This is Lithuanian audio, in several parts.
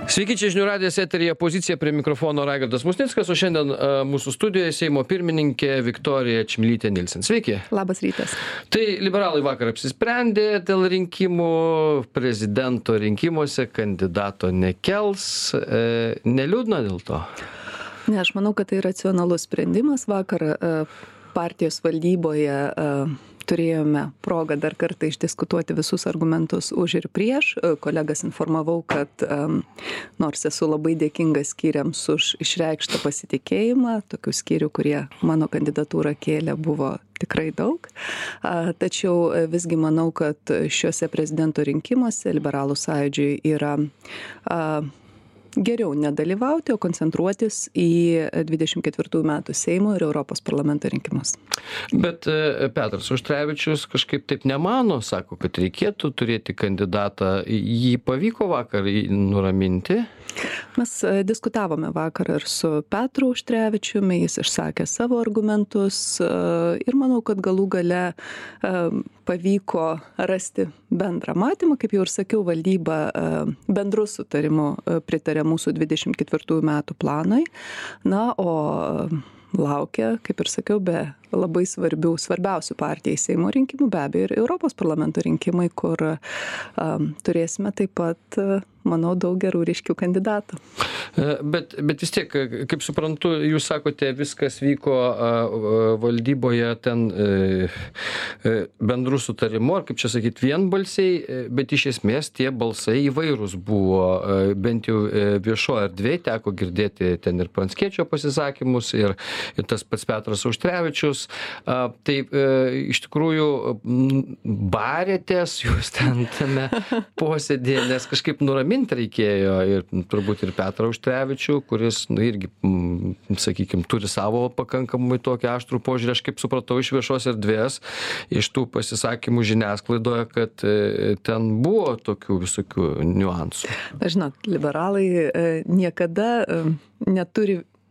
Sveiki, čia žinių radijas eteryje Pozicija, prie mikrofono Raigardas Musnickas, o šiandien mūsų studijoje Seimo pirmininkė Viktorija Čmilytė Nilsen. Sveiki. Labas rytas. Tai liberalai vakar apsisprendė dėl rinkimų, prezidento rinkimuose kandidato nekels. Neliūdna dėl to? Ne, aš manau, kad tai racionalus sprendimas. Vakar partijos valdyboje turėjome progą dar kartą išdiskutuoti visus argumentus už ir prieš. Kolegas informavau, kad nors esu labai dėkingas skyriams už išreikštą pasitikėjimą, tokių skyrių, kurie mano kandidatūrą kėlė, buvo tikrai daug. Tačiau visgi manau, kad šiuose prezidento rinkimuose Liberalų sąjūdžiui yra geriau nedalyvauti, o koncentruotis į 24 metų Seimo ir Europos parlamento rinkimus. Bet Petras Auštrevičius kažkaip taip nemano, sako, kad reikėtų turėti kandidatą. Jį pavyko vakar nuraminti? Mes diskutavome vakar ir su Petru Auštrevičiumi, jis išsakė savo argumentus ir manau, kad galų gale pavyko rasti bendrą matymą. Kaip jau ir sakiau, valdyba bendru sutarimu pritarė mūsų 24 metų planui. Na, o laukia, kaip ir sakiau, be labai svarbiausių partijai Seimo rinkimų, be abejo, ir Europos parlamento rinkimai, kur turėsime taip pat, manau, daug gerų ryškių kandidatų. Bet vis tiek, kaip suprantu, jūs sakote, viskas vyko valdyboje ten bendrų sutarimų, ar kaip čia sakyti, vienbalsiai, bet iš esmės tie balsai įvairūs buvo, bent jau viešoje erdvėje teko girdėti ten ir Pranckiečio pasisakymus, ir tas pats Petras Auštrevičius. Tai iš tikrųjų barėtės jūs ten tame posėdėje, nes kažkaip nuraminti reikėjo ir turbūt ir Petrą Auštrevičių, kuris irgi, sakykime, turi savo pakankamai tokį aštrų požiūrį. Aš kaip supratau iš viešos erdvės, iš tų pasisakymų žiniasklaidoje, kad ten buvo tokių visokių niuansų. Žinot, liberalai niekada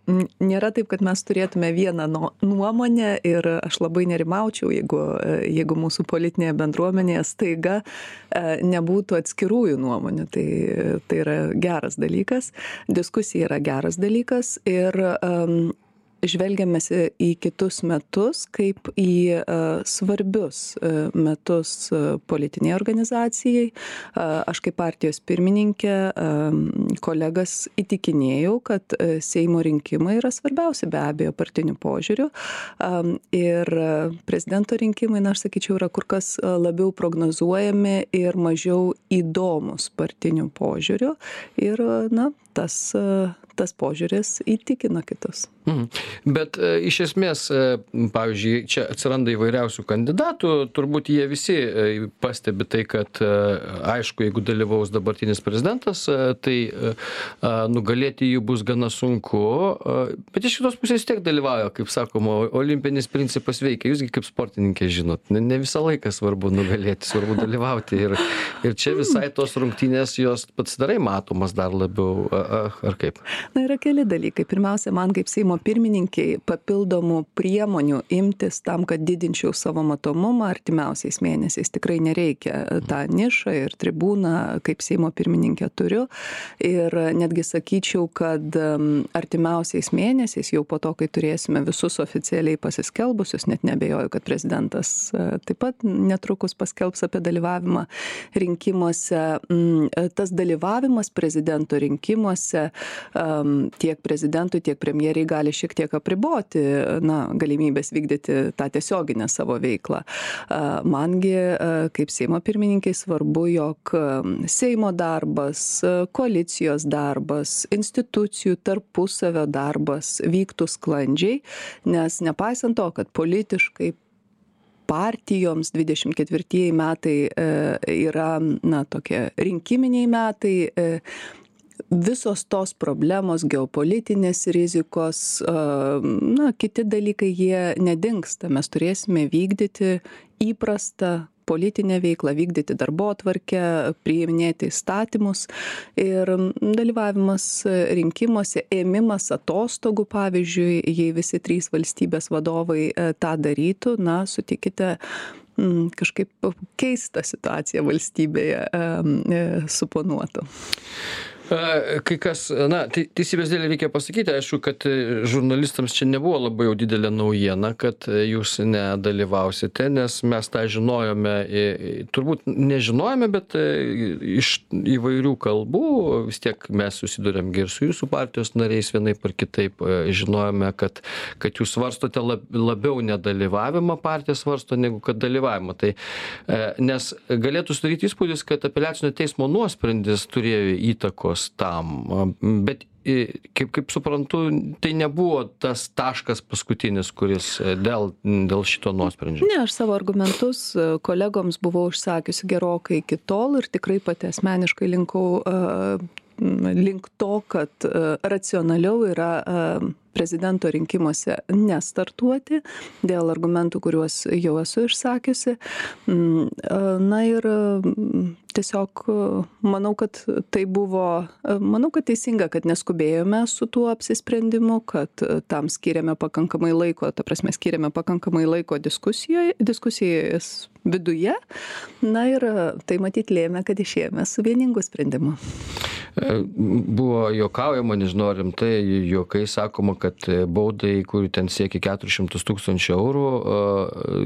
nėra taip, kad mes turėtume vieną nuomonę ir aš labai nerimaučiau, jeigu mūsų politinėje bendruomenėje staiga nebūtų atskirųjų nuomonių. Tai yra geras dalykas, diskusija yra geras dalykas ir žvelgiamės į kitus metus kaip į svarbius metus politiniai organizacijai. Aš kaip partijos pirmininkė kolegas įtikinėjau, kad Seimo rinkimai yra svarbiausi be abejo partinių požiūrių. Ir prezidento rinkimai, aš sakyčiau, yra kur kas labiau prognozuojami ir mažiau įdomus partinių požiūrių. Ir, tas požiūris įtikina kitus. Bet iš esmės, pavyzdžiui, čia atsiranda įvairiausių kandidatų, turbūt jie visi pastebi tai, kad aišku, jeigu dalyvaus dabartinis prezidentas, tai nugalėti jų bus gana sunku, bet iš kitos pusės tiek dalyvauja, kaip sakoma, olimpinis principas veikia. Jūsgi kaip sportininkė žinot, ne visą laiką svarbu nugalėti, svarbu dalyvauti ir čia visai tos rungtynės jos pasidarai matomas dar labiau, ar kaip? Na, yra keli dalykai. Pirmiausia, man kaip Seimo pirmininkiai papildomų priemonių imtis tam, kad didinčiau savo matomumą artimiausiais mėnesiais. Tikrai nereikia tą nišą ir tribūną, kaip Seimo pirmininkė turiu. Ir netgi sakyčiau, kad artimiausiais mėnesiais, jau po to, kai turėsime visus oficialiai pasiskelbusius, net nebejoju, kad prezidentas taip pat netrukus paskelbs apie dalyvavimą rinkimuose. Tas dalyvavimas prezidento rinkimuose tiek prezidentui, tiek premjeriai gali šiek tiek apriboti galimybės vykdyti tą tiesioginę savo veiklą. Mangi, kaip Seimo pirmininkai, svarbu, jog Seimo darbas, koalicijos darbas, institucijų tarpusavio darbas vyktų sklandžiai, nes nepaisant to, kad politiškai partijoms 24 metai yra tokie rinkiminiai metai, visos tos problemos, geopolitinės rizikos, kiti dalykai, jie nedingsta. Mes turėsime vykdyti įprastą politinę veiklą, vykdyti darbotvarkę, priiminėti įstatymus ir dalyvavimas rinkimuose, ėmimas atostogų, pavyzdžiui, jei visi 3 valstybės vadovai tą darytų, sutikite, kažkaip keistą situaciją valstybėje suponuotų. Kai kas, teisybės dėlei reikia pasakyti, aišku, kad žurnalistams čia nebuvo labai jau didelė naujiena, kad jūs nedalyvausite, nes mes tą žinojome, turbūt nežinojome, bet iš įvairių kalbų, vis tiek mes susidurėm ir su jūsų partijos nariais vienaip ar kitaip, žinojome, kad jūs svarstote labiau nedalyvavimą, partija svarsto, negu kad dalyvavimą. Tai, nes galėtų sudaryti įspūdis, kad apeliacinio teismo nuosprendis turėjo įtakos tam, bet kaip suprantu, tai nebuvo tas taškas paskutinis, kuris dėl šito nuosprendžio. Ne, aš savo argumentus kolegoms buvau užsakiusi gerokai iki tol ir tikrai pati asmeniškai linkau link to, kad racionaliau yra prezidento rinkimuose nestartuoti dėl argumentų, kuriuos jau esu išsakiusi. Na ir tiesiog manau, kad tai buvo, kad teisinga, kad neskubėjome su tuo apsisprendimu, kad tam skiriame pakankamai laiko, skiriame pakankamai laiko diskusijas viduje. Na ir tai matyt lėmė, kad išėjome su vieningu sprendimu. Buvo juokaujama, nežinau, rimtai juokai sakoma, kad baudai, kurių ten siekia 400 000 eurų,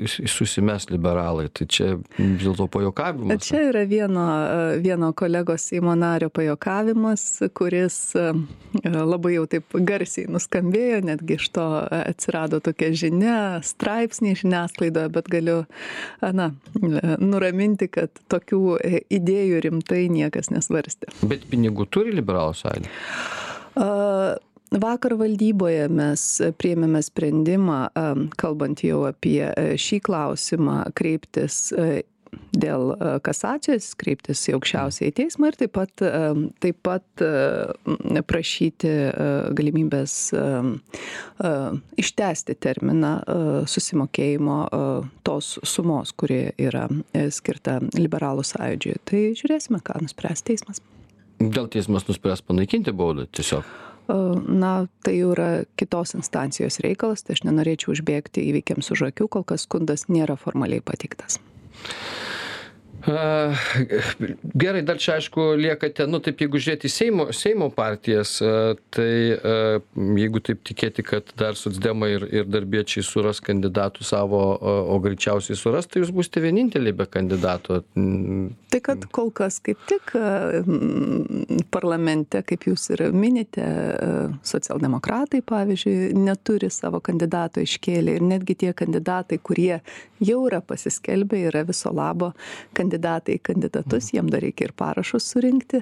susimes liberalai. Tai čia vis dėlto pajuokavimas. Čia yra vieno kolegos Seimo nario pajuokavimas, kuris labai jau taip garsiai nuskambėjo, netgi iš to atsirado tokia žinia, straipsniai žiniasklaidoje, bet galiu nuraminti, kad tokių idėjų rimtai niekas nesvarstė. Bet pinigų turi liberalų sąjunga? Vakar valdyboje mes priėmėme sprendimą, kalbant jau apie šį klausimą, kreiptis dėl kasacijos, kreiptis į aukščiausiąjį teismą ir taip pat prašyti galimybės ištęsti terminą susimokėjimo tos sumos, kuri yra skirta liberalų sąjūdžiui. Tai žiūrėsime, ką nuspręs teismas. Gal teismas nuspręs panaikinti baudą tiesiog? Tai jau yra kitos instancijos reikalas, tai aš nenorėčiau užbėgti įvykiams už akių, kol kas skundas nėra formaliai pateiktas. Gerai, dar čia aišku liekate, taip jeigu žiūrėti Seimo partijas, tai jeigu taip tikėti, kad dar socdemai ir darbiečiai suras kandidatų savo, o greičiausiai suras, tai jūs būsite vieninteliai be kandidato. Tai kad kol kas kaip tik parlamente, kaip jūs ir minite, socialdemokratai, pavyzdžiui, neturi savo kandidato iškėlę ir netgi tie kandidatai, kurie jau yra pasiskelbę, yra viso labo kandidatai į kandidatus, jiem dar reikia ir parašus surinkti.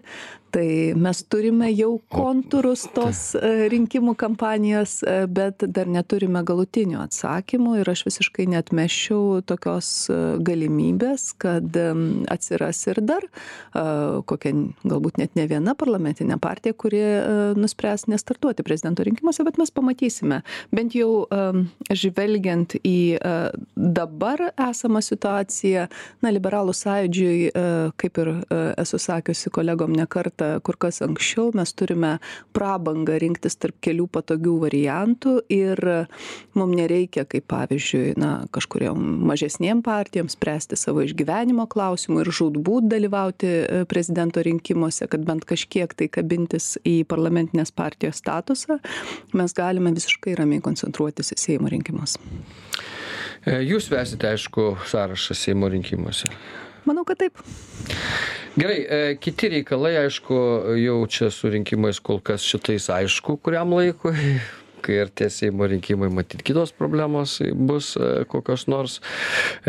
Tai mes turime jau kontūrus tos rinkimų kampanijos, bet dar neturime galutinių atsakymų ir aš visiškai neatmesčiau tokios galimybės, kad atsiras ir dar kokia galbūt net ne viena parlamentinė partija, kuri nuspręs nestartuoti prezidento rinkimuose, bet mes pamatysime. Bent jau žvelgiant į dabar esamą situaciją, liberalų sąjūdžiui, kaip ir esu sakiusi kolegom ne kartą, kur kas anksčiau, mes turime prabangą rinktis tarp kelių patogių variantų ir mums nereikia, kaip pavyzdžiui, kažkuriam mažesniem partijom spręsti savo išgyvenimo klausimų ir žūtbūt dalyvauti prezidento rinkimuose, kad bent kažkiek tai kabintis į parlamentinės partijos statusą, mes galime visiškai ramiai koncentruotis į Seimo rinkimus. Jūs vesite, aišku, sąrašą Seimo rinkimuose. Manau, kad taip. Gerai, kiti reikalai, aišku, jau čia su rinkimais kol kas šitais aišku, kuriam laikui, kai artės Seimo rinkimai, matyt, kitos problemos bus kokios nors,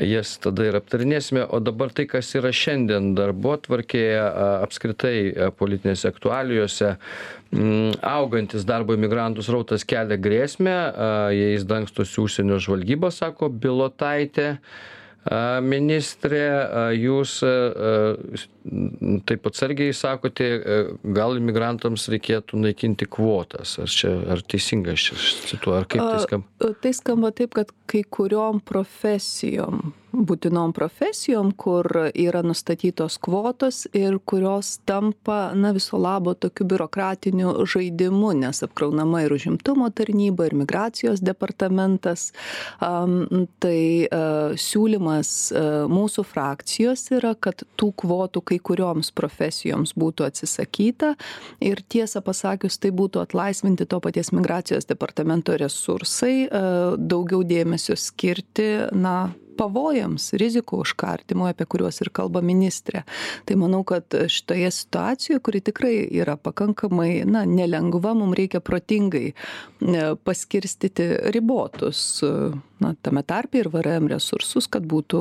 jas tada ir aptarinėsime, o dabar tai, kas yra šiandien darbotvarkėje, apskritai politinėse aktualijose, augantis darbo imigrantų srautas kelia grėsmę, jais dangstosi užsienio žvalgyba, sako Bilotaitė. Ministrė, jūs taip atsargiai sakote, gal imigrantams reikėtų naikinti kvotas. Ar teisingai aš cituoju, ar kaip tai skamba? Tai skamba taip, kad kai kuriom profesijom būtinom profesijom, kur yra nustatytos kvotos ir kurios tampa, viso labo tokiu biurokratiniu žaidimu, nes apkraunama ir užimtumo tarnyba, ir migracijos departamentas. Tai siūlymas mūsų frakcijos yra, kad tų kvotų kai kurioms profesijoms būtų atsisakyta ir tiesą pasakius, tai būtų atlaisvinti to paties migracijos departamento resursai, daugiau dėmesio skirti, pavojams, rizikų užkardymui, apie kuriuos ir kalba ministrė. Tai manau, kad šitoje situacijoje, kuri tikrai yra pakankamai, nelengva, mums reikia protingai paskirstyti ribotus, tame tarpe ir VRM resursus, kad būtų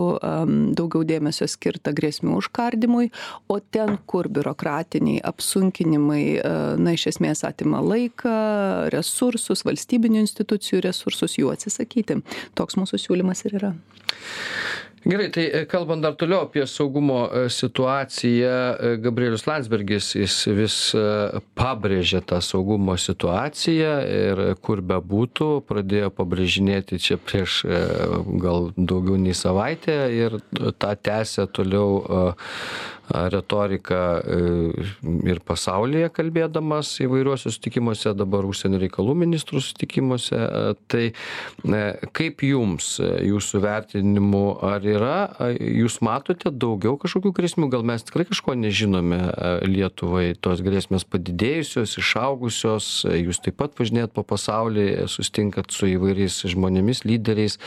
daugiau dėmesio skirta grėsmių užkardymui, o ten, kur biurokratiniai apsunkinimai, iš esmės atima laiką, resursus, valstybinių institucijų resursus, jų atsisakyti. Toks mūsų siūlymas ir yra. Gerai, tai kalbant dar toliau apie saugumo situaciją, Gabrielius Landsbergis, jis vis pabrėžė tą saugumo situaciją ir kur bebūtų, pradėjo pabrėžinėti čia prieš gal daugiau nei savaitę ir tą tęsia toliau retoriką ir pasaulyje kalbėdamas įvairiuose sutikimuose, dabar užsienio reikalų ministrų sutikimuose. Tai kaip jums, jūsų vertinimu, ar jūs matote daugiau kažkokių grėsmių, gal mes tikrai kažko nežinome Lietuvai, tos grėsmės padidėjusios, išaugusios, jūs taip pat važinėjat po pasaulį, sustinkat su įvairiais žmonėmis, lyderiais,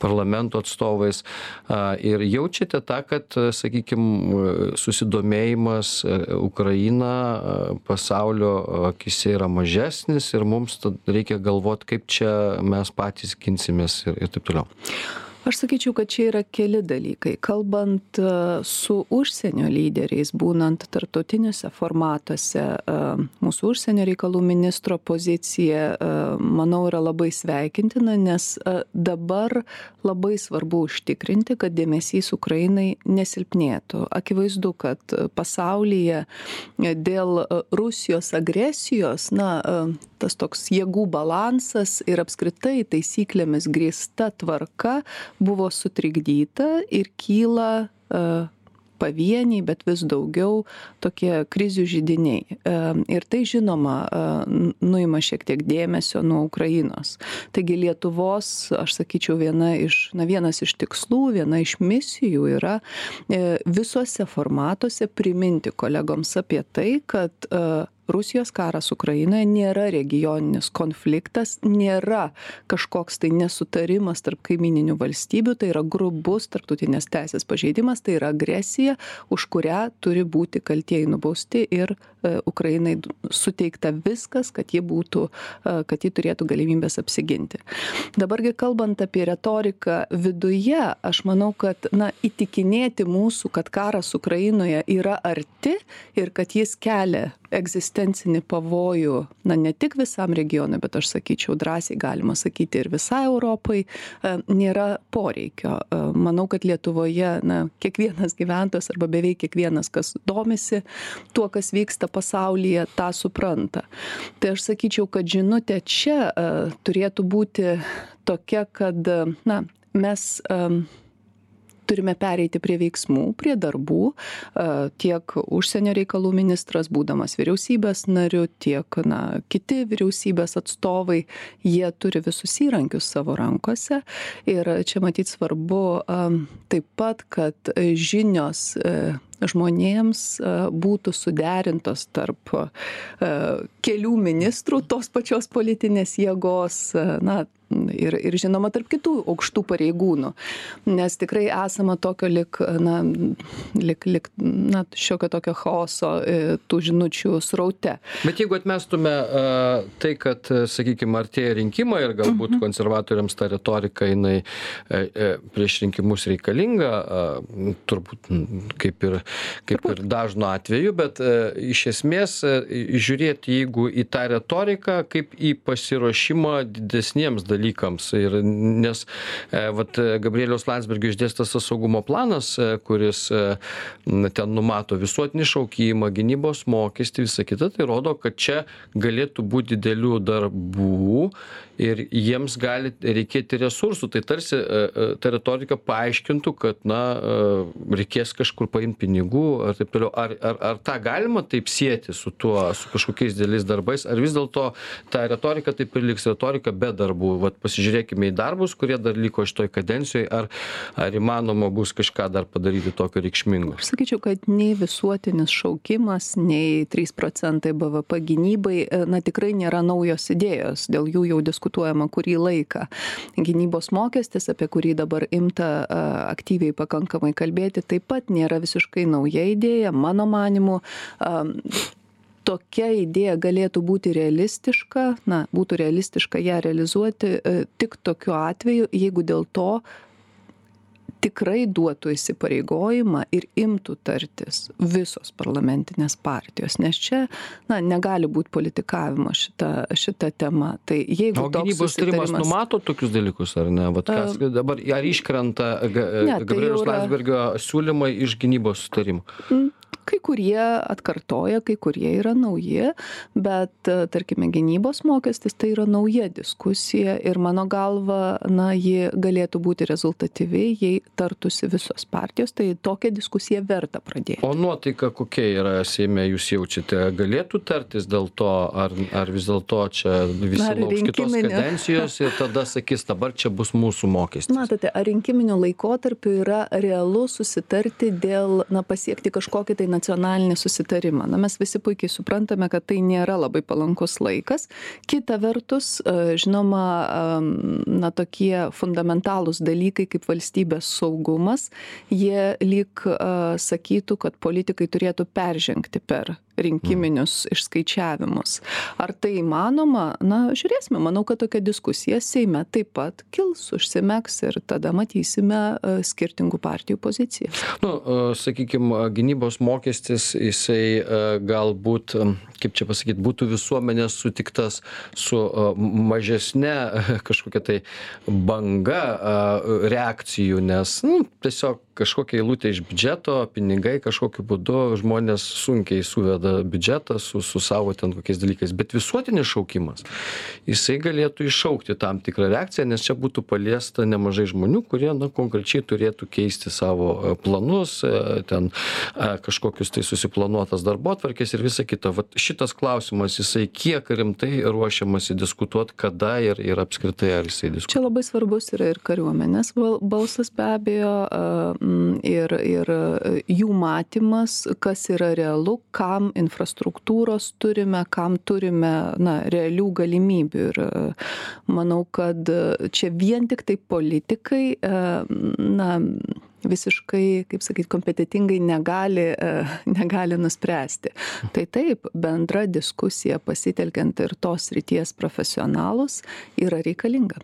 parlamento atstovais ir jaučiate tą, kad, sakykime, susidomėjimas Ukraina pasaulio akise yra mažesnis ir mums reikia galvoti, kaip čia mes patys ginsimės ir taip toliau. Aš sakyčiau, kad čia yra keli dalykai. Kalbant su užsienio lyderiais, būnant tarptautiniuose formatuose, mūsų užsienio reikalų ministro pozicija, manau, yra labai sveikintina, nes dabar labai svarbu užtikrinti, kad dėmesys Ukrainai nesilpnėtų. Akivaizdu, kad pasaulyje dėl Rusijos agresijos, tas toks jėgų balansas ir apskritai taisyklėmis grįsta tvarka buvo sutrikdyta ir kyla pavieniai, bet vis daugiau tokie krizių židiniai. Ir tai, žinoma, nuima šiek tiek dėmesio nuo Ukrainos. Taigi Lietuvos, aš sakyčiau, vienas iš tikslų, viena iš misijų yra visuose formatuose priminti kolegoms apie tai, kad Rusijos karas Ukrainoje nėra regioninis konfliktas, nėra kažkoks tai nesutarimas tarp kaimininių valstybių, tai yra grubus tarptautinės teisės pažeidimas, tai yra agresija, už kurią turi būti kaltieji nubausti ir Ukrainai suteikta viskas, kad ji turėtų galimybės apsiginti. Dabargi kalbant apie retoriką viduje, aš manau, kad įtikinėti mūsų, kad karas Ukrainoje yra arti ir kad jis kelia egzistencinį pavojų, ne tik visam regionui, bet aš sakyčiau, drąsiai galima sakyti ir visai Europai, nėra poreikio. Manau, kad Lietuvoje kiekvienas gyventojas arba beveik kiekvienas, kas domisi tuo, kas vyksta pasaulyje, tą supranta. Tai aš sakyčiau, kad žinutė čia turėtų būti tokia, kad mes turime pereiti prie veiksmų, prie darbų, tiek užsienio reikalų ministras, būdamas vyriausybės nariu, tiek kiti vyriausybės atstovai, jie turi visus įrankius savo rankose ir čia matyt svarbu taip pat, kad žinios žmonėms būtų suderintos tarp kelių ministrų tos pačios politinės jėgos, ir žinoma tarp kitų aukštų pareigūnų, nes tikrai esama tokio šiokio tokio chaoso tų žinučių sraute. Bet jeigu atmestume tai, kad, sakykime, artėja rinkimai ir galbūt konservatoriams ta retorika jinai prieš rinkimus reikalinga, turbūt kaip ir dažnu atveju, bet iš esmės žiūrėti, jeigu į tą retoriką, kaip į pasiruošimą didesniems dalykams dalykams. Ir nes vat Gabrieliaus Landsbergio išdėstas tas saugumo planas, kuris ten numato visuotinį šaukimą, gynybos mokestį, visą kitą, tai rodo, kad čia galėtų būti didelių darbų ir jiems gali reikėti resursų. Tai tarsi ta retorika paaiškintų, kad reikės kažkur paimti pinigų ar taip toliau. Ar tą galima taip sieti su tuo, su kažkokiais dideliais darbais, ar vis dėlto ta retorika taip ir liks retorika be darbų? Vat pasižiūrėkime į darbus, kurie dar liko šitoj kadencijoje, ar įmanoma bus kažką dar padaryti tokio reikšmingo? Aš sakyčiau, kad nei visuotinis šaukimas, nei 3% BVP gynybai, tikrai nėra naujos idėjos, dėl jų jau diskutuojama kurį laiką. Gynybos mokestis, apie kurį dabar imta aktyviai pakankamai kalbėti, taip pat nėra visiškai nauja idėja. Mano manimu, tokia idėja galėtų būti realistiška, būtų realistiška ją realizuoti tik tokiu atveju, jeigu dėl to tikrai duotų įsipareigojimą ir imtų tartis visos parlamentinės partijos, nes čia negali būti politikavimo šita tema. Tai jeigu o gynybos tarimas numato tokius dalykus, ar ne? Vat kas dabar, ar iškrenta Gabrieliaus Landsbergio siūlymai iš gynybos sutarimo? Kai kurie atkartoja, kai kurie yra nauji, bet, tarkime, gynybos mokestis tai yra nauja diskusija ir mano galva, ji galėtų būti rezultatyvi, jei tartųsi visos partijos, tai tokią diskusiją verta pradėti. O nuotaika kokia yra Seime, jūs jaučiate, galėtų tartis dėl to, ar vis dėlto čia visi lauks kitos kadencijos ir tada sakys, dabar čia bus mūsų mokestis? Matote, ar rinkiminiu laikotarpiu yra realu susitarti dėl, pasiekti kažkokį tai nacionalinį susitarimą. Mes visi puikiai suprantame, kad tai nėra labai palankus laikas. Kita vertus, žinoma, tokie fundamentalūs dalykai kaip valstybės saugumas, jie lyg sakytų, kad politikai turėtų peržengti per rinkiminius išskaičiavimus. Ar tai įmanoma? Žiūrėsime. Manau, kad tokia diskusija Seime taip pat kils, užsimegs ir tada matysime skirtingų partijų pozicijas. Sakykime, gynybos mokestis, jisai galbūt, kaip čia pasakyti, būtų visuomenės sutiktas su mažesne kažkokia tai banga reakcijų, nes tiesiog kažkokia eilutė iš biudžeto, pinigai kažkokiu būdu, žmonės sunkiai suveda biudžetą su savo ten kokiais dalykais. Bet visuotinis šaukimas, jisai galėtų iššaukti tam tikrą reakciją, nes čia būtų paliesta nemažai žmonių, kurie konkrečiai turėtų keisti savo planus, ten kažkokius tai susiplanuotas darbotvarkės ir visa kita. Vat šitas klausimas, jisai kiek rimtai ruošiamasi diskutuoti, kada ir apskritai ar jisai diskutuoti. Čia labai svarbus yra ir kariuomenės balsas be abejo, ir jų matymas, kas yra realu, kam infrastruktūros turime, kam turime realių galimybių. Ir manau, kad čia vien tik tai politikai visiškai, kaip sakyti, kompetitingai negali nuspręsti. Tai taip, bendra diskusija pasitelkiant ir tos srities profesionalus yra reikalinga.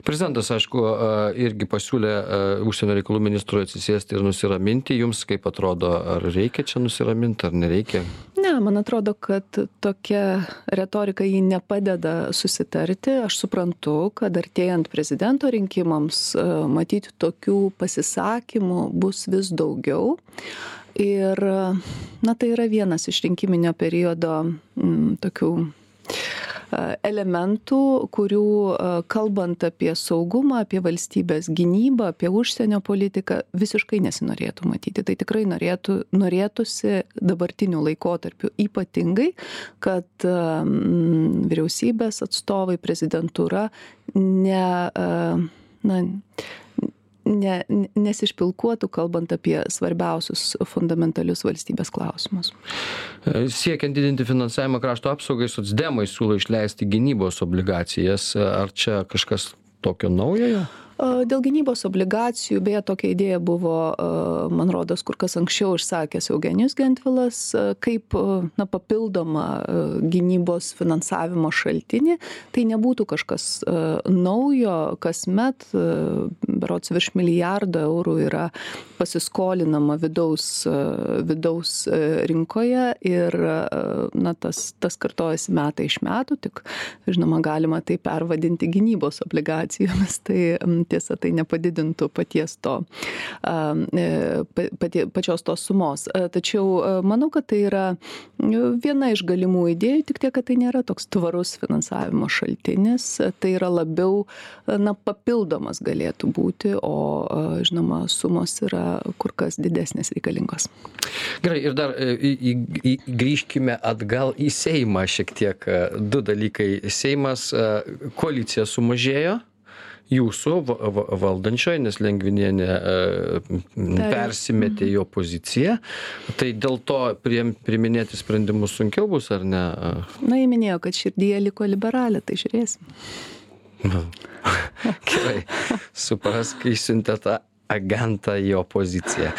Prezidentas, aišku, irgi pasiūlė užsienio reikalų ministrui atsisėsti ir nusiraminti. Jums kaip atrodo, ar reikia čia nusiraminti, ar nereikia? Ne, man atrodo, kad tokia retorika jį nepadeda susitarti. Aš suprantu, kad artėjant prezidento rinkimams matyti tokių pasisakymų bus vis daugiau. Ir tai yra vienas iš rinkiminio periodo tokių elementų, kurių kalbant apie saugumą, apie valstybės gynybą, apie užsienio politiką visiškai nesinorėtų matyti. Tai tikrai norėtųsi dabartinių laikotarpių ypatingai, kad vyriausybės atstovai, prezidentūra nesišpilkuotų, kalbant apie svarbiausius fundamentalius valstybės klausimus. Siekiant didinti finansavimą krašto apsaugai, socdemai siūlo išleisti gynybos obligacijas. Ar čia kažkas tokio naujojo? Dėl gynybos obligacijų, beje, tokia idėja buvo, man rodos, kur kas anksčiau išsakęs Eugenijus Gentvilas, kaip papildoma gynybos finansavimo šaltinį. Tai nebūtų kažkas naujo, kasmet, berods virš milijardo eurų yra pasiskolinama vidaus rinkoje ir tas kartojasi metai iš metų, tik, žinoma, galima tai pervadinti gynybos obligacijomis. Tai tiesa, tai nepadidintų pačios tos sumos. Tačiau manau, kad tai yra viena iš galimų idėjų, tik tiek, kad tai nėra toks tvarus finansavimo šaltinis. Tai yra labiau papildomas galėtų būti, o žinoma, sumos yra kur kas didesnės reikalingos. Gerai, ir dar grįžkime atgal į Seimą šiek tiek. Du dalykai. Seimas, koalicija sumažėjo. Jūsų valdančioji, nes Lengvinienė persimetė į opoziciją. Tai dėl to priiminėti sprendimus sunkiau bus, ar ne? Jie minėjo, kad širdyje liko liberalė, tai žiūrėsim. Gerai, suprask, kai siuntė tą agentą į opoziciją.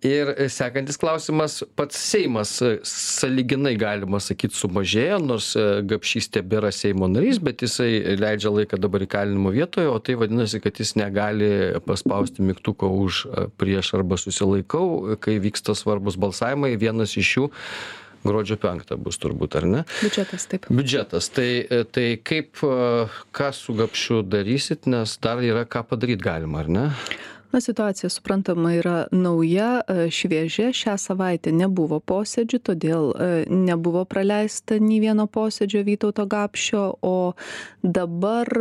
Ir sekantis klausimas, pats Seimas sąlyginai, galima sakyti, sumažėjo, nors Gapšys tebėra Seimo narys, bet jisai leidžia laiką dabar įkalinimo vietoje, o tai vadinasi, kad jis negali paspausti mygtuko už, prieš arba susilaikau, kai vyksta svarbus balsavimai. Vienas iš jų gruodžio 5 bus turbūt, ar ne? Biudžetas, taip. Biudžetas. Tai kaip, ką su Gapšiu darysit, nes dar yra ką padaryti galima, ar ne? Situacija, suprantama, yra nauja, šviežia. Šią savaitę nebuvo posėdžių, todėl nebuvo praleista nei vieno posėdžio Vytauto Gapšio, o dabar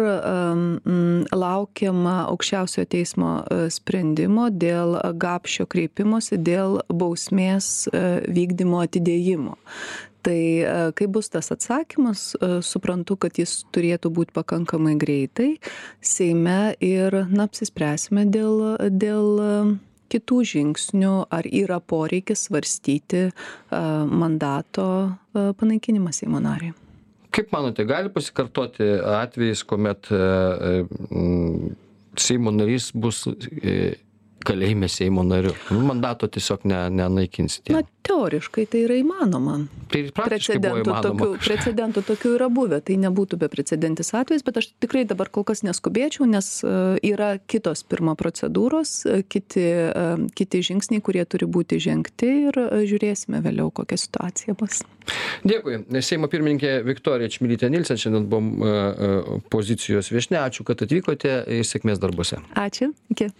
laukiama Aukščiausiojo teismo sprendimo dėl Gapšio kreipimosi dėl bausmės vykdymo atidėjimo. Tai kai bus tas atsakymas, suprantu, kad jis turėtų būti pakankamai greitai Seime ir apsispręsime dėl kitų žingsnių, ar yra poreikis svarstyti mandato panaikinimą Seimo nariui. Kaip manote, gali pasikartoti atvejis, kuomet Seimo narys bus kalėjime Seimo nariu? Mandato tiesiog nenaikinsite. Teoriškai tai yra įmanoma. Tai praktiškai buvo įmanoma. Precedentų tokių yra buvę, tai nebūtų beprecedentis atvejis, bet aš tikrai dabar kol kas neskubėčiau, nes yra kitos pirma procedūros, kiti žingsniai, kurie turi būti žengti ir žiūrėsime vėliau, kokia situacija bus. Dėkui. Seimo pirmininkė Viktorija Čmilytė Nilsen, šiandien buvom pozicijos viešnia. Ačiū, kad atvykote ir sėkmės darbuose. Ačiū. Iki.